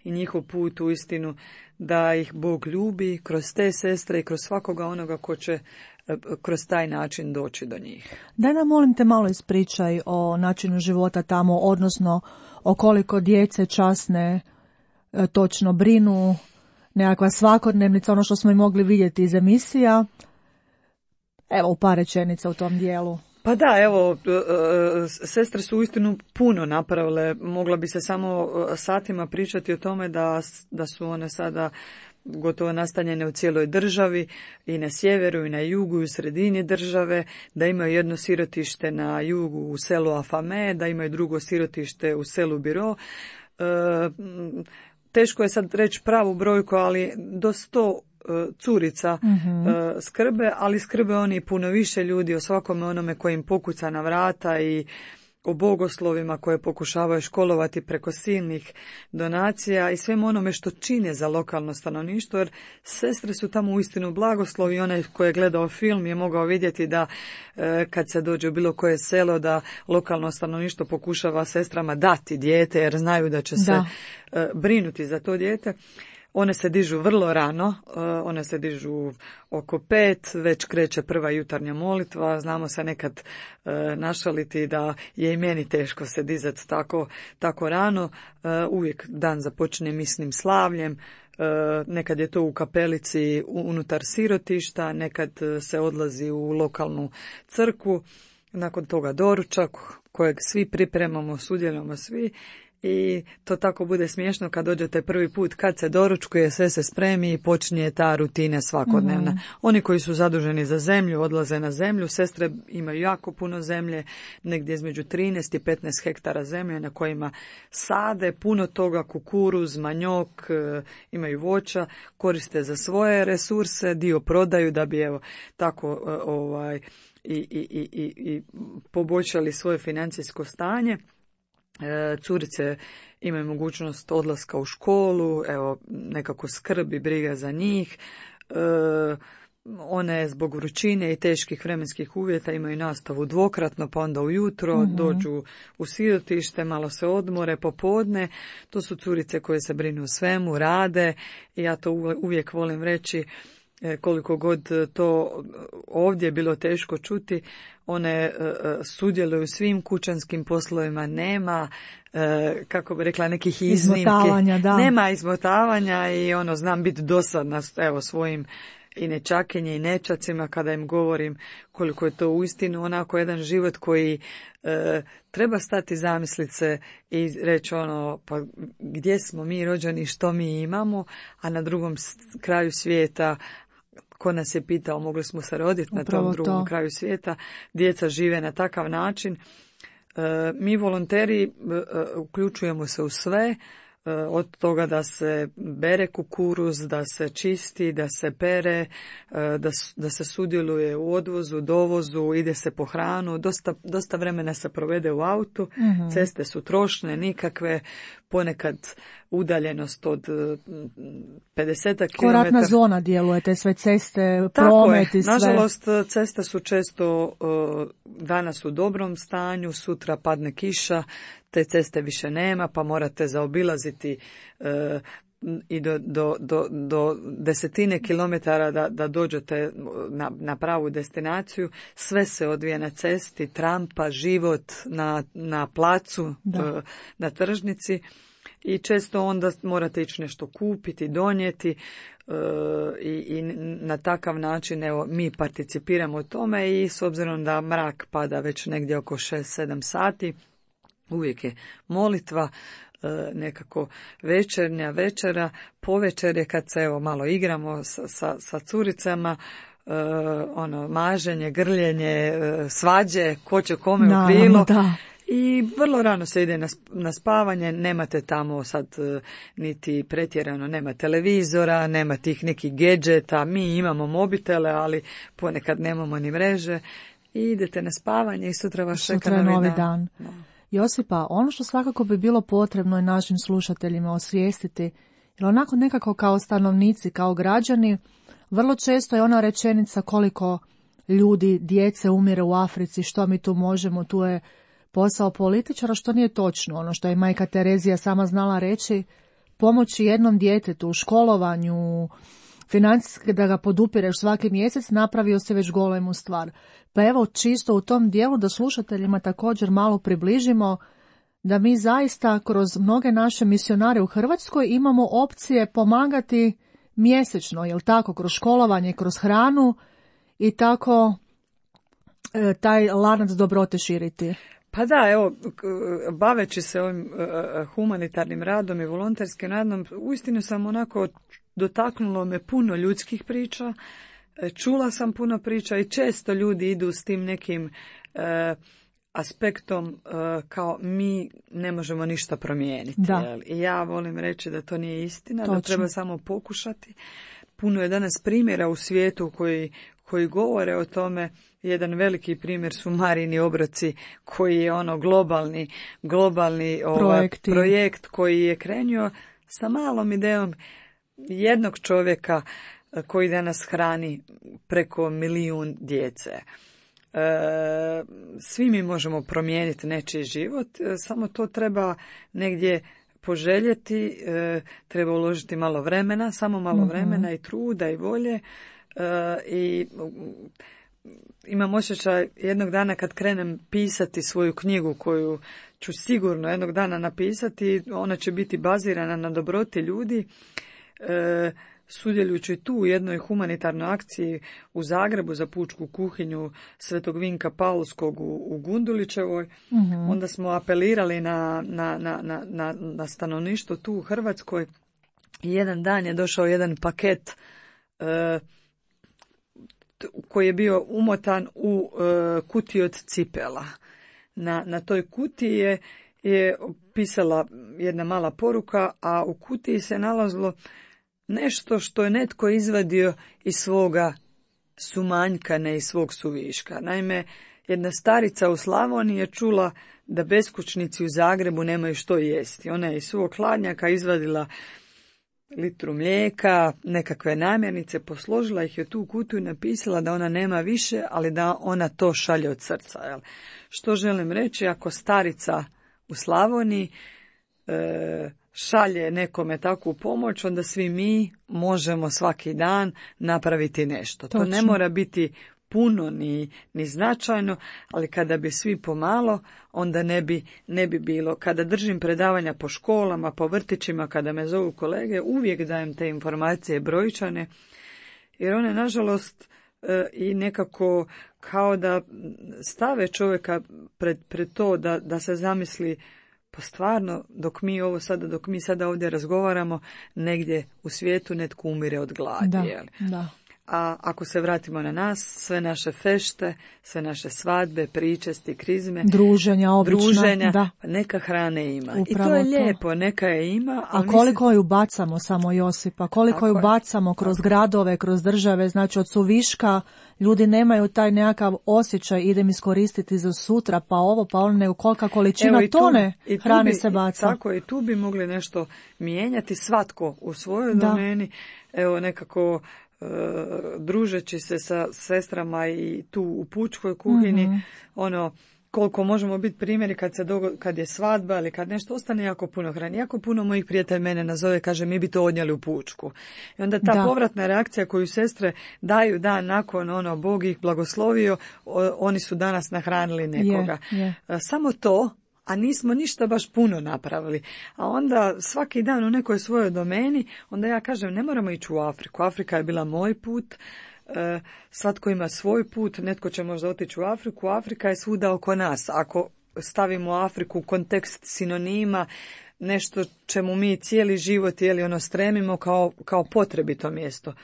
i njihov put u istinu da ih Bog ljubi kroz te sestre i kroz svakoga onoga ko će kroz taj način doći do njih. Daj nam molim te malo ispričaj o načinu života tamo, odnosno o koliko djece časne točno brinu, nekakva svakodnevnica, ono što smo i mogli vidjeti iz emisija. Evo u par rečenica u tom dijelu. Pa da, evo, sestre su uistinu puno napravile. Mogla bi se samo satima pričati o tome da su one sada gotovo nastanjene u cijeloj državi, i na sjeveru i na jugu i u sredini države, da imaju jedno sirotište na jugu u selu Afame, da imaju drugo sirotište u selu Biro. Teško je sad reći pravu brojku, ali do 100 curica skrbe, ali skrbe oni puno više ljudi o svakome onome koji im pokuca na vrata i o bogoslovima koje pokušavaju školovati preko silnih donacija i svemu onome što čine za lokalno stanovništvo, jer sestre su tamo uistinu blagoslovi. Onaj koji je gledao film je mogao vidjeti da kad se dođe u bilo koje selo, da lokalno stanovništvo pokušava sestrama dati dijete, jer znaju da će se brinuti za to dijete. One se dižu vrlo rano, one se dižu oko 5, već kreće prva jutarnja molitva. Znamo se nekad našaliti da je i meni teško se dizati tako rano. Uvijek dan započne misnim slavljem. Nekad je to u kapelici unutar sirotišta, nekad se odlazi u lokalnu crkvu. Nakon toga doručak kojeg svi pripremamo, sudjelujemo svi. I to tako bude smiješno kad dođete prvi put, kad se doručkuje, sve se spremi i počinje ta rutina svakodnevna. Oni koji su zaduženi za zemlju odlaze na zemlju. Sestre imaju jako puno zemlje, negdje između 13 i 15 hektara zemlje na kojima sade puno toga, kukuruz, manjok, imaju voća, koriste za svoje resurse, dio prodaju da bi tako i poboljšali svoje financijsko stanje. Curice imaju mogućnost odlaska u školu, nekako skrb i briga za njih. One zbog vrućine i teških vremenskih uvjeta imaju nastavu dvokratno, pa onda ujutro dođu u sirotište, malo se odmore, popodne. To su curice koje se brinu o svemu, rade i ja to uvijek volim reći, koliko god to ovdje bilo teško čuti, one sudjeluju u svim kućanskim poslovima, nema, kako bi rekla, nekih iznimki. Nema izmotavanja i znam biti dosadna svojim i nečakinje i nečacima kada im govorim koliko je to uistinu onako jedan život koji treba stati zamisliti se i reći pa gdje smo mi rođeni, što mi imamo, a na drugom kraju svijeta, ko nas je pitao, mogli smo se roditi na tom drugom kraju svijeta, djeca žive na takav način. Mi volonteri uključujemo se u sve, od toga da se bere kukuruz, da se čisti, da se pere, da se sudjeluje u odvozu, dovozu, ide se po hranu, dosta vremena se provede u autu, ceste su trošne, nikakve, ponekad udaljenost od 50 km. Ratna zona djeluje, te sve ceste, promet i sve. Nažalost, ceste su često danas u dobrom stanju, sutra padne kiša, te ceste više nema, pa morate zaobilaziti i do desetine kilometara da dođete na pravu destinaciju. Sve se odvija na cesti, trampa, život na placu, na tržnici. I često onda morate ići nešto kupiti, donijeti i na takav način mi participiramo u tome i s obzirom da mrak pada već negdje oko 6-7 sati, uvijek je molitva, nekako večera, povečer je kad se malo igramo sa curicama, maženje, grljenje, svađe, ko će kome u krilo. I vrlo rano se ide na spavanje, nemate tamo sad niti pretjerano, nema televizora, nema tih nekih gadgeta, mi imamo mobitele, ali ponekad nemamo ni mreže i idete na spavanje i sutra vas čeka novi dan. Josipa, ono što svakako bi bilo potrebno i našim slušateljima osvijestiti, jer onako nekako kao stanovnici, kao građani, vrlo često je ona rečenica koliko ljudi, djece umire u Africi, što mi tu možemo, tu je posao političara, što nije točno. Ono što je majka Terezija sama znala reći, pomoći jednom djetetu u školovanju, financijski da ga podupireš svaki mjesec, napravio se već golemu stvar. Pa evo, čisto u tom dijelu da slušateljima također malo približimo da mi zaista kroz mnoge naše misionare u Hrvatskoj imamo opcije pomagati mjesečno, jel tako, kroz školovanje, kroz hranu i tako taj lanac dobrote širiti. Pa da, evo, baveći se ovim humanitarnim radom i volonterskim radom, uistinu sam onako dotaknulo me puno ljudskih priča, čula sam puno priča i često ljudi idu s tim nekim aspektom kao mi ne možemo ništa promijeniti. I ja volim reći da to nije istina, da treba samo pokušati. Puno je danas primjera u svijetu koji govore o tome. Jedan veliki primjer su Marini obroci, koji je globalni projekt koji je krenuo sa malom idejom jednog čovjeka koji danas hrani preko 1 milijun djece. Svi mi možemo promijeniti nečiji život, samo to treba negdje poželjeti, treba uložiti malo vremena, samo malo vremena i truda i volje. I imam osjećaj jednog dana kad krenem pisati svoju knjigu koju ću sigurno jednog dana napisati, ona će biti bazirana na dobroti ljudi, sudjelujući tu u jednoj humanitarnoj akciji u Zagrebu za pučku kuhinju Svetog Vinka Paulskog u Gundulićevoj. Onda smo apelirali na stanovništvo tu u Hrvatskoj i jedan dan je došao jedan paket koji je bio umotan u kutiju od cipela. Na toj kutiji je pisala jedna mala poruka, a u kutiji se nalazilo nešto što je netko izvadio iz svoga sumanjka, ne iz svog suviška. Naime, jedna starica u Slavoniji je čula da beskućnici u Zagrebu nemaju što jesti. Ona je iz svog hladnjaka izvadila litru mlijeka, nekakve namirnice, posložila ih je tu kutiju i napisala da ona nema više, ali da ona to šalje od srca. Jel? Što želim reći, ako starica u Slavoniji šalje nekome takvu pomoć, onda svi mi možemo svaki dan napraviti nešto. Točno. To ne mora biti puno ni značajno, ali kada bi svi pomalo, onda ne bi bilo. Kada držim predavanja po školama, po vrtićima, kada me zovu kolege, uvijek dajem te informacije brojčane, jer one, nažalost, i nekako kao da stave čovjeka pred to da se zamisli, pa stvarno, dok mi sada ovdje razgovaramo, negdje u svijetu netko umire od gladi. Da. A ako se vratimo na nas, sve naše fešte, sve naše svadbe, pričesti, krizme, druženja, da. Neka hrane ima. Upravo i to je lijepo, neka je ima. A koliko ju bacamo, samo Josipa, koliko ju bacamo kroz gradove, kroz države, znači od suviška, ljudi nemaju taj nekakav osjećaj, idem iskoristiti za sutra, pa ovo, pa ono, nego kolika količina tone hrane se baca. Tako, i tu bi mogli nešto mijenjati, svatko u svojoj domeni, evo nekako družeći se sa sestrama i tu u pučkoj kuhinji, koliko možemo biti primjeri kad je svadba ili kad nešto ostane jako puno hrane. Jako puno mojih prijatelja mene nazove, kaže mi bi to odnijeli u pučku. I onda ta povratna reakcija koju sestre daju dan nakon, Bog ih blagoslovio, oni su danas nahranili nekoga. Samo to, a nismo ništa baš puno napravili. A onda svaki dan u nekoj svojoj domeni, onda ja kažem, ne moramo ići u Afriku. Afrika je bila moj put, svatko ima svoj put, netko će možda otići u Afriku, Afrika je svuda oko nas. Ako stavimo Afriku u kontekst sinonima, nešto čemu mi cijeli život stremimo kao potrebito mjesto.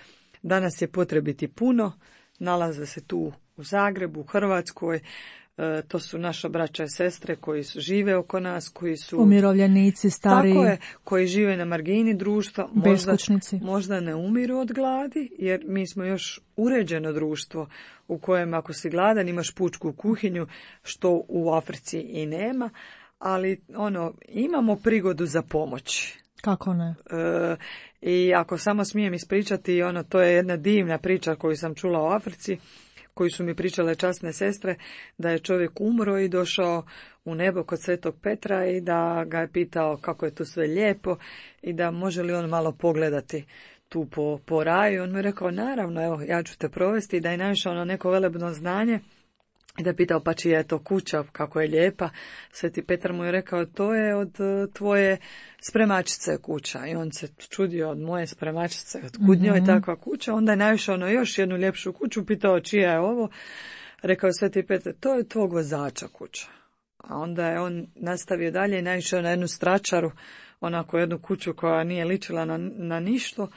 Danas je potrebiti puno, nalaze se tu u Zagrebu, u Hrvatskoj, to su naša braća i sestre koji žive oko nas, koji su umirovljenici, stariji. Tako je, koji žive na margini društva, možda ne umiru od gladi, jer mi smo još uređeno društvo u kojem ako si gladan imaš pučku kuhinju, što u Africi i nema, ali imamo prigodu za pomoć. Kako ne? I ako samo smijem ispričati, to je jedna divna priča koju sam čula u Africi, koju su mi pričale časne sestre, da je čovjek umro i došao u nebo kod Svetog Petra i da ga je pitao kako je tu sve lijepo i da može li on malo pogledati tu po raju. On mu je rekao, naravno, evo, ja ću te provesti, i da je naišao na neko velebno znanje i da je pitao, pa čija je to kuća, kako je lijepa. Sveti Petar mu je rekao, to je od tvoje spremačice kuća. I on se čudio, od moje spremačice, od kud njoj takva kuća. Onda je naišao na još jednu ljepšu kuću, pitao čija je ovo. Rekao je Sveti Petar, to je tvog vozača kuća. A onda je on nastavio dalje i naišao na jednu stračaru, onako jednu kuću koja nije ličila na ništo.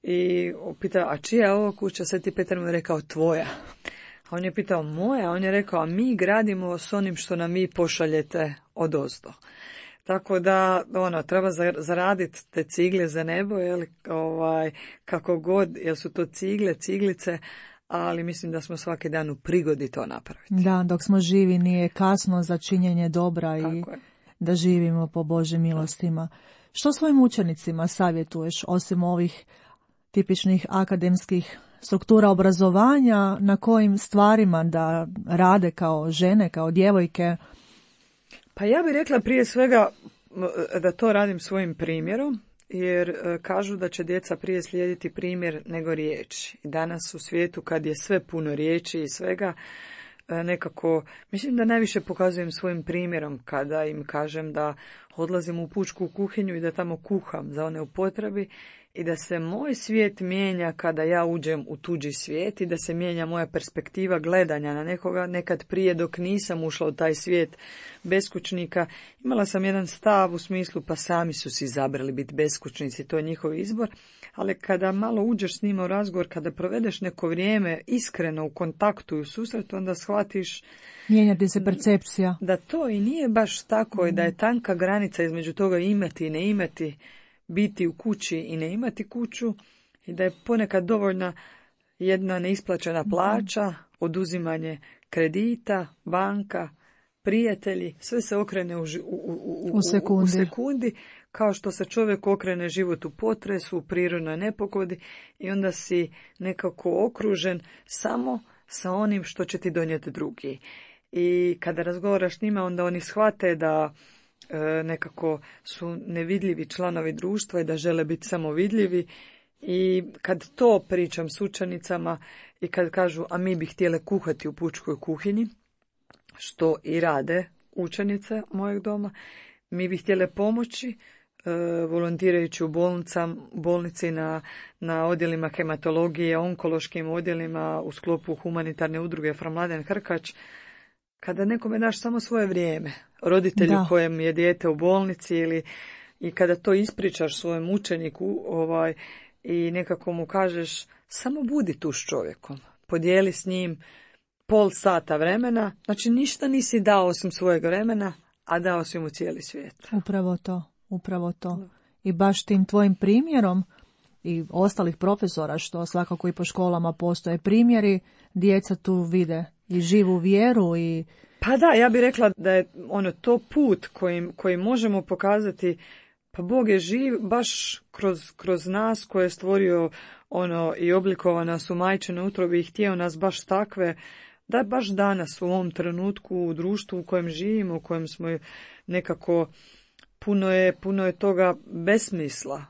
I pitao, a čija je ovo kuća? Sveti Petar mu je rekao, tvoja. A on je pitao, moja? On je rekao, a mi gradimo s onim što nam vi pošaljete odozdo. Tako da, treba zaraditi te cigle za nebo, kako god, jer su to ciglice, ali mislim da smo svaki dan u prigodi to napraviti. Da, dok smo živi nije kasno za činjenje dobra i Tako je. da živimo po Božjim milostima. Što svojim učenicima savjetuješ, osim ovih tipičnih akademskih struktura obrazovanja, na kojim stvarima da rade kao žene, kao djevojke? Pa ja bih rekla prije svega da to radim svojim primjerom, jer kažu da će djeca prije slijediti primjer nego riječi. I danas u svijetu kad je sve puno riječi i svega, nekako, mislim da najviše pokazujem svojim primjerom kada im kažem da odlazim u pučku kuhinju i da tamo kuham za one u potrebi i da se moj svijet mijenja kada ja uđem u tuđi svijet i da se mijenja moja perspektiva gledanja na nekoga. Nekad prije dok nisam ušla u taj svijet beskućnika, imala sam jedan stav u smislu pa sami su si izabrali biti beskućnici, to je njihov izbor, ali kada malo uđeš s njima u razgovor, kada provedeš neko vrijeme iskreno u kontaktu i u susretu, onda shvatiš Mijenjati se percepcija. da to i nije baš tako i da je tanka granica između toga imati i ne imati, biti u kući i ne imati kuću i da je ponekad dovoljna jedna neisplaćena plaća, oduzimanje kredita, banka, prijatelji, sve se okrene u sekundi, kao što se čovjek okrene život u potresu, u prirodnoj nepogodi i onda si nekako okružen samo sa onim što će ti donijeti drugi. I kada razgovaraš s njima, onda oni shvate da nekako su nevidljivi članovi društva i da žele biti samo vidljivi. I kad to pričam s učenicama i kad kažu, a mi bi htjele kuhati u pučkoj kuhinji, što i rade učenice mojeg doma, mi bi htjele pomoći volontirajući u bolnici na odjelima hematologije, onkološkim odjelima u sklopu humanitarne udruge Fra Mladen Hrkač. Kada nekome daš samo svoje vrijeme, roditelju kojem je dijete u bolnici i kada to ispričaš svojem učeniku i nekako mu kažeš samo budi tu s čovjekom, podijeli s njim pol sata vremena, znači ništa nisi dao osim svojeg vremena, a dao si mu cijeli svijet. Upravo to. I baš tim tvojim primjerom i ostalih profesora, što svakako i po školama postoje primjeri, djeca tu vide i živu vjeru i... Pa da, ja bih rekla da je to put koji možemo pokazati, pa Bog je živ baš kroz nas koje je stvorio i oblikovao nas u majčinoj utrobi i htio nas baš takve, da baš danas u ovom trenutku u društvu u kojem živimo, u kojem smo nekako puno je toga besmisla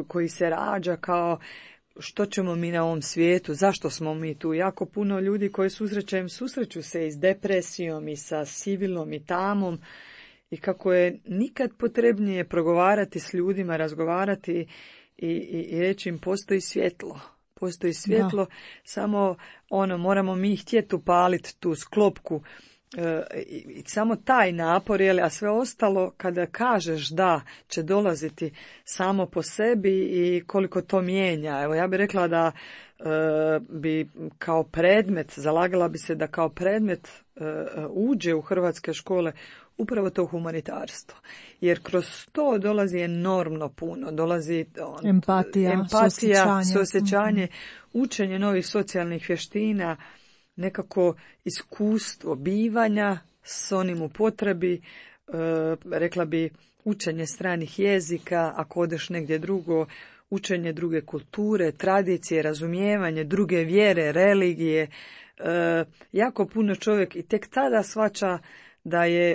koji se rađa kao što ćemo mi na ovom svijetu, zašto smo mi tu. Jako puno ljudi koji susreću se i s depresijom i sa sivilom i tamom i kako je nikad potrebnije progovarati s ljudima, razgovarati i reći im postoji svjetlo. Postoji svjetlo, samo moramo mi htjeti upaliti tu sklopku i samo taj napor, a sve ostalo kada kažeš da će dolaziti samo po sebi i koliko to mijenja. Evo ja bih rekla da bi kao predmet, zalagala bi se da kao predmet uđe u hrvatske škole upravo to humanitarstvo. Jer kroz to dolazi enormno puno, dolazi empatija, suosjećanje, učenje novih socijalnih vještina, nekako iskustvo bivanja s onim u potrebi, rekla bi učenje stranih jezika, ako odeš negdje drugo, učenje druge kulture, tradicije, razumijevanje druge vjere, religije. Jako puno čovjek i tek tada shvaća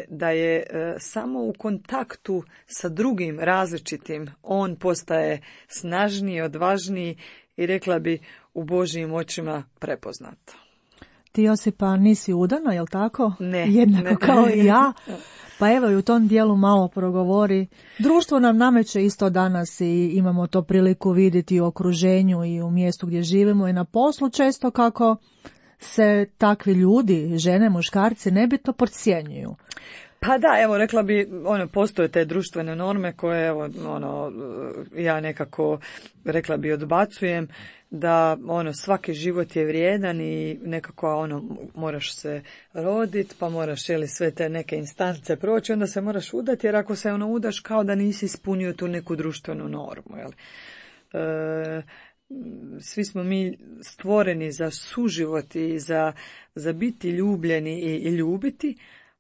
da je samo u kontaktu sa drugim različitim on postaje snažniji, odvažniji i rekla bi u Božjim očima prepoznat. Ti, Josipa, nisi udana, jel tako? Ne. Jednako kao i ja. Pa evo i u tom dijelu malo progovori. Društvo nam nameće isto danas i imamo to priliku vidjeti u okruženju i u mjestu gdje živimo i na poslu često kako se takvi ljudi, žene, muškarci, nebitno podcjenjuju. Pa da, evo rekla bi, postoje te društvene norme koje ja nekako rekla bi odbacujem, da svaki život je vrijedan i nekako moraš se roditi, pa moraš sve te neke instance proći, onda se moraš udati, jer ako se udaš kao da nisi ispunio tu neku društvenu normu, svi smo mi stvoreni za suživot i za biti ljubljeni i ljubiti,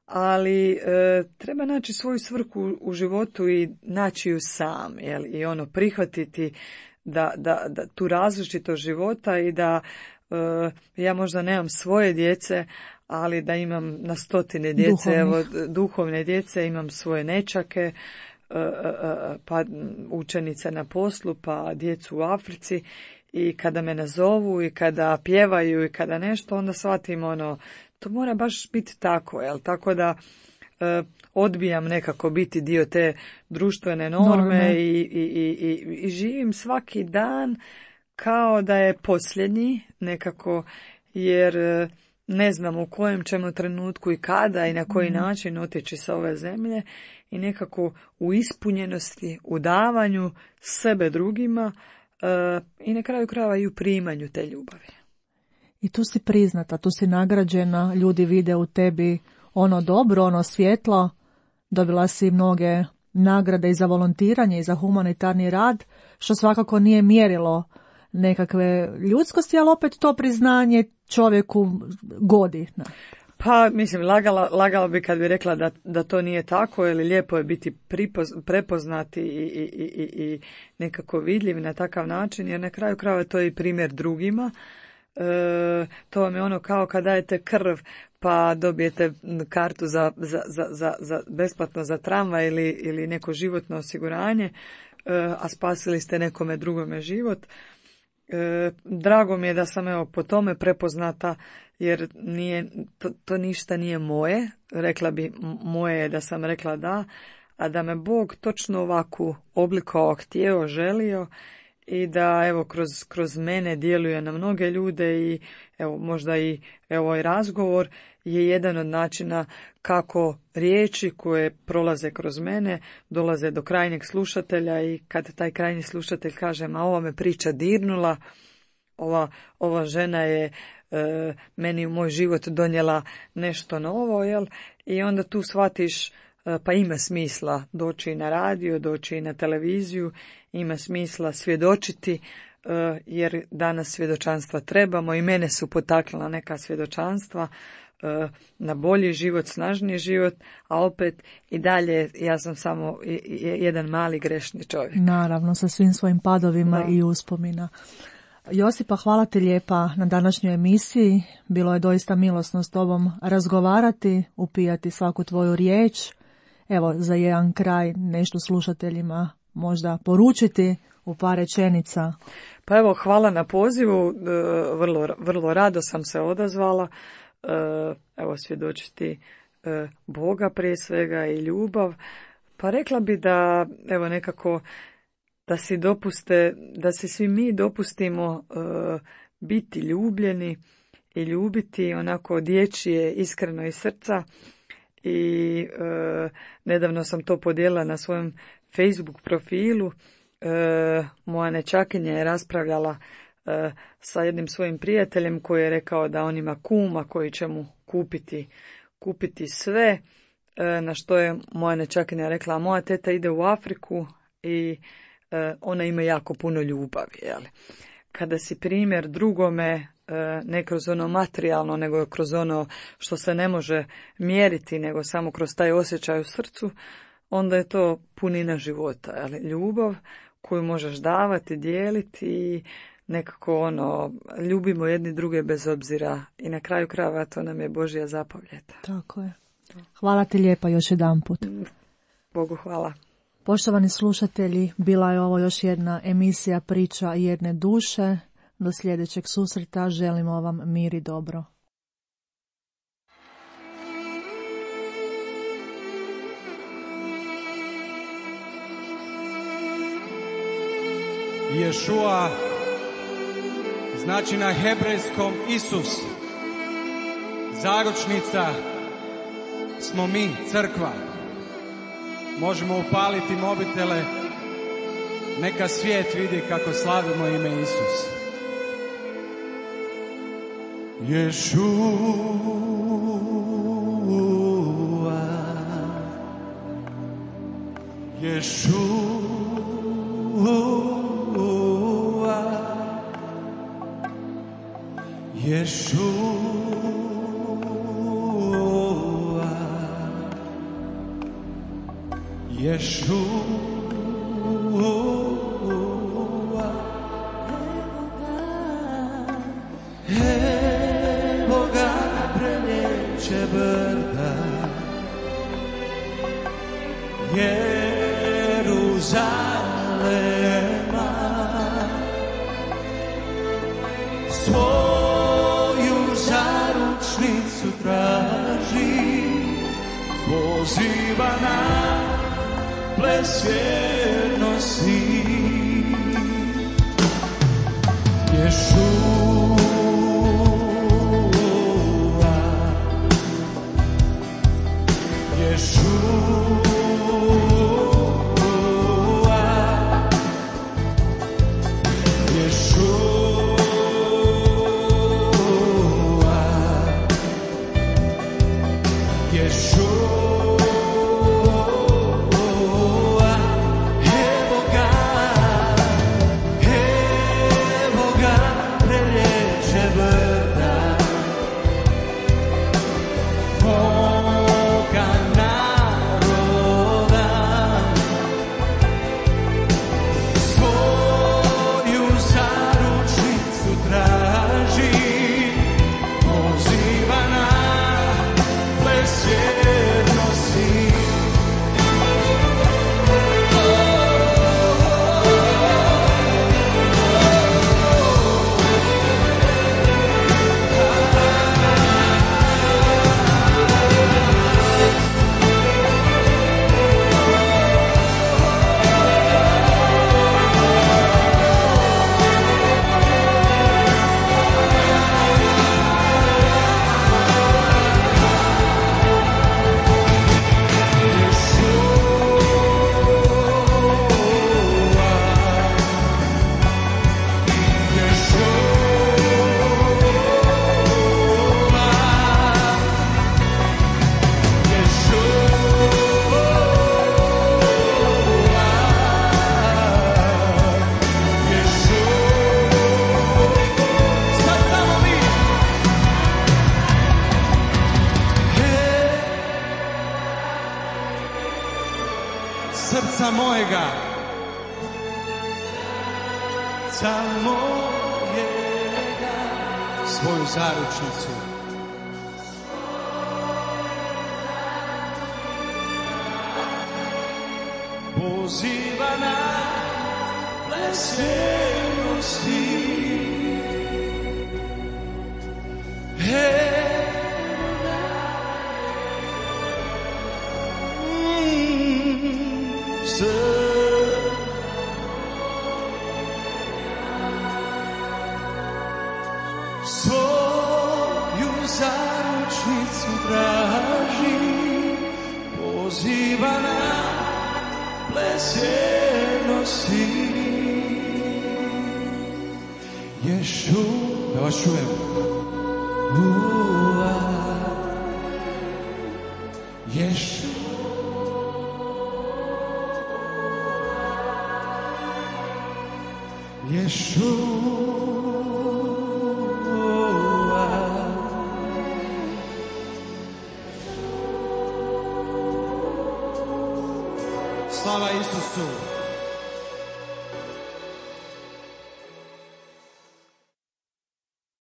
ali treba naći svoju svrhu u životu i naći ju sam, jel? I ono prihvatiti da tu različitost života i da ja možda nemam svoje djece, ali da imam na stotine djece, duhovne djece, imam svoje nećake, pa učenice na poslu, pa djecu u Africi, i kada me nazovu i kada pjevaju i kada nešto, onda shvatim to mora baš biti tako, jel? Tako da odbijam nekako biti dio te društvene norme i živim svaki dan kao da je posljednji nekako, jer ne znam u kojem ćemo trenutku i kada i na koji način otići sa ove zemlje, i nekako u ispunjenosti, u davanju sebe drugima i na kraju krajeva i u primanju te ljubavi. I tu si priznata, tu si nagrađena, ljudi vide u tebi ono dobro, ono svjetlo, dobila si mnoge nagrade i za volontiranje i za humanitarni rad, što svakako nije mjerilo nekakve ljudskosti, ali opet to priznanje čovjeku godi. Pa, mislim, lagala bi kad bi rekla da to nije tako, ili lijepo je biti prepoznati i nekako vidljiv na takav način, jer na kraju krajeva to je i primjer drugima. To vam je ono kao kad dajete krv pa dobijete kartu za besplatno za tramvaj ili neko životno osiguranje, a spasili ste nekome drugome život. Drago mi je da sam po tome prepoznata, jer to ništa nije moje. Rekla bi, moje je da sam rekla da, a da me Bog točno ovako oblikovao, htio, želio, i da kroz mene djeluje na mnoge ljude, i možda i ovaj razgovor je jedan od načina kako riječi koje prolaze kroz mene dolaze do krajnjeg slušatelja, i kad taj krajnji slušatelj kaže, ma ova me priča dirnula, ova žena je meni u moj život donijela nešto novo, jel? I onda tu shvatiš, pa ima smisla doći na radio, doći na televiziju, ima smisla svjedočiti, jer danas svjedočanstva trebamo, i mene su potaknula neka svjedočanstva na bolji život, snažniji život, a opet i dalje ja sam samo jedan mali grešni čovjek. Naravno, sa svim svojim padovima i uspomina. Josipa, hvala ti lijepa na današnjoj emisiji. Bilo je doista milosno s tobom razgovarati, upijati svaku tvoju riječ. Evo, za jedan kraj nešto slušateljima možda poručiti u par rečenica. Pa evo, hvala na pozivu, vrlo rado sam se odazvala. Evo, svjedočiti Boga prije svega i ljubav. Pa rekla bi da, evo, nekako da si svi mi dopustimo biti ljubljeni i ljubiti onako dječje, iskreno iz srca. I nedavno sam to podijelila na svojem Facebook profilu. Moja nećakinja je raspravljala sa jednim svojim prijateljem koji je rekao da on ima kuma koji će mu kupiti sve, na što je moja nećakinja rekla, moja teta ide u Afriku i ona ima jako puno ljubavi. Jel? Kada si primjer drugome, ne kroz ono materijalno, nego kroz ono što se ne može mjeriti, nego samo kroz taj osjećaj u srcu, onda je to punina života. Jel? Ljubav koju možeš davati, dijeliti i nekako ljubimo jedni druge bez obzira, i na kraju krajeva to nam je Božja zapovjed. Tako je. Hvala ti lijepa još jedanput. Bogu hvala. Poštovani slušatelji, bila je ovo još jedna emisija Priča jedne duše. Do sljedećeg susreta želimo vam mir i dobro. Ješua znači na hebrejskom Isus. Zaručnica smo mi, crkva. Možemo upaliti mobitele, neka svijet vidi kako slavimo ime Isus. Ješua, Ješua, Evo ga preljeće brda, Jeruzalema, svoju zaručnicu traži, poziva na ples vjernosti. Srca mojega, srca mojega, svoju zaručnicu. Poziva na ples vjernosti. Svoju zaručnicu traži, poziva na ples vjernosti. Ješu, da vas čujem. Ješu, Ješu. Slava Isusu.